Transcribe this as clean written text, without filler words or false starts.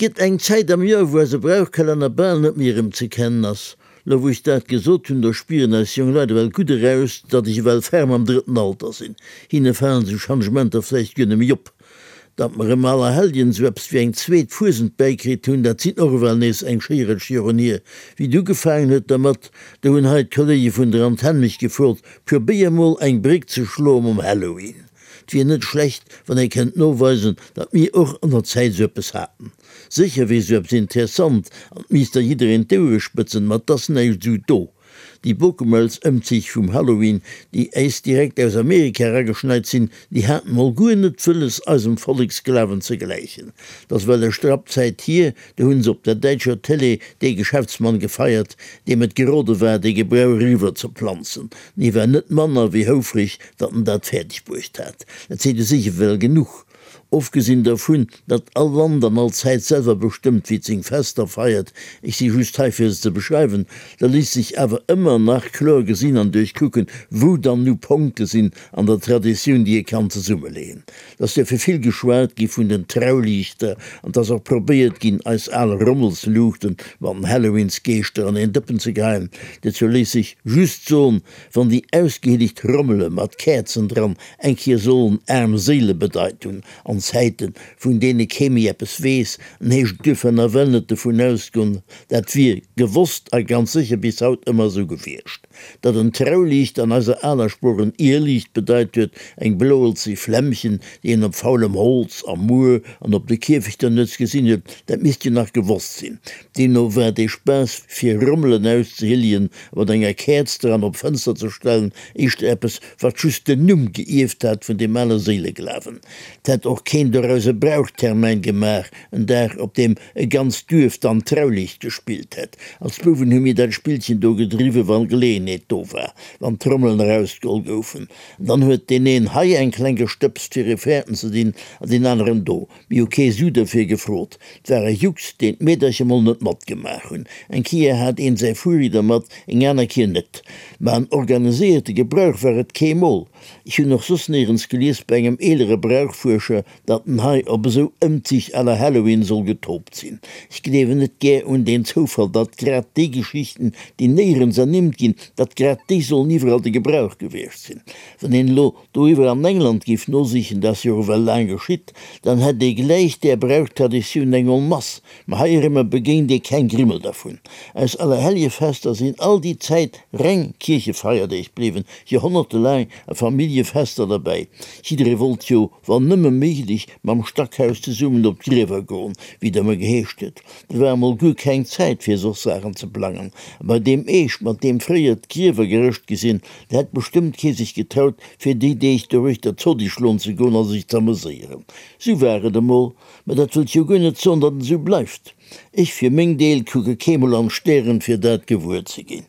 Gëtt eng Zäit am Joer, wou eise Brauchkalenner bal net méi erëmzekennen ass. Lo wou ech dat gesot hunn, do spieren eis jonk Leit ewell gutt eraus, datt ech ewell ferm am drëtten Alter sinn. Hinne falen esou Changementer vläicht guer net méi op. Datt mer ëm Allerhelljen esou eppes wéi eng zweet Fuesent bäikritt hunn, dat sinn och ewell nees eng schéi Rëtsch Joren hier. Wéi et ugefaangen huet dermat, do hunn hei d'Kollege vun der Antenn mech gefrot, Probéier mol eng Bréck ze schloe mam Halloween. 't wier net schlecht, wann ee kennt noweisen, datt mir och an der Zäit esou eppes haten. Sécher wier esou eppes interessant an 't misst da jiddereen d'Ouere spëtzen, ma 't ass näischt esou do. Déi Bockemëlz-Ëmzich vum Halloween, déi äis direkt aus Amerika erageschneit sinn, déi haten mol guer net wëlles, eisem Volleksglawen ze gläichen. 't ass well e Strapp Zäit hier, do hunn se op der däitscher Télé dee Geschäftsmann gefeiert, deem et gerode war, dee Gebrauch eriwwer ze planzen. En hie war net manner wéi houfreg, datt en dat fäerdeg bruecht hat. Dat seet u sech ewell genuch. Ofgesinn dervun, datt all Land an all Zäit selwer bestëmmt, wéi et seng Fester feiert, ech si just hei fir se ze beschreiwen, da léisst sech awer ëmmer nach kloer gesinn an duerchkucken, wou dann nu Ponkte sinn an der Traditioun, déi ee kann zesummeleeën. Et ass duerfir vill geschwat gi vun den Trauliichter an et ass och probéiert ginn, eis al Rommelsluuchten mat den Halloweensgeeschter an een Dëppen ze geheien. Dozou léisst sech just soen, Wann déi ausgehielegt Rommele mat Käerzen dran eng Kéier sollen aarm Séile bedeit hunn an Zäiten, vun deene kee méi eppes weess, en heescht et duerfir nawell net dovun ausgoen, dat wier gewosst a ganz sécher bis haut ëmmer esou gewiescht. Datt en Trauliicht an eiser aler Sprooch en Irrliicht bedeit huet, eng bloelzeg Flämmchen, déi een op faulem Holz, am Muer an op de Kierfechter nuets gesinn huet, dat misst jo nach gewosst sinn. Deemno war dee Spaass fir Rommelen auszehilljen a mat enger Käerz dran op d'Fënster ze stellen éischter eppes, wat just den Numm geierft hat vun deem ale Séileglawen. 't hätt och keen doraus e Brauchtermäin gemaach, en Dag, op deem e ganzt Duerf dann Trauliicht gespillt hätt. Als Bouwen hu mir dat Spillchen do gedriwwen, wann Geleeënheet do war, wann d'Trommelen erausgeholl goufen. An dann huet deen een hei eng kleng gestëbst fir e fäerten ze dinn an deen aneren do. Mir hu kee Su derfir gefrot. 't war e Jux, deen d'Meedercher mol net matgemaach hunn. Eng Kier hat een säi Furi dermat, eng aner Kier net. Ma en organiséierte Gebrauch war et kee Mol. Ech hunn och soss néierens gelies bei engem eelere Brauchfuerscher, datt en hei op esou Ëmzich à la Halloween soll getoopt sinn. Ech gleewen net gär un deen Zoufall, datt grad déi Geschichten, déi néierens ernimmt ginn, datt grad déi sollen iwwerall de Gebrauch gewiescht sinn. Wann een elo Doriwwer an England giff nosichen, dat ass jo ewell laang geschitt, dann hätt ee gläich där Brauchtraditioun eng en masse, ma heirëmmer begéint ee keng Grimmel dervun. Eis Allerhelljefester sinn all déi Zäit reng Kierchefeierdeeg bliwwen, joerhonnertelaang, a Familljefester derbäi. Jidderee wollt jo, wann nëmme méiglech, mam Stackhaus zesummen op d'Griewer goen, wéi et ëmmer geheescht huet. Et war emol guer keng Zäit fir soss Saachen ze plangen. A bei deem Eescht, mat deem fréier d'Griewer gerëscht gi sinn, Da hätt bestëmmt kee sech getraut, fir déi Deeg doruechter Zodi schloen ze goen a sech z'ameséieren. Sou war et emol, mä dat wëllt jo guer net soen, datt et esou bleift. Ech fir meng Deel kucke keemol an d'Stären, fir dat gewuer ze ginn.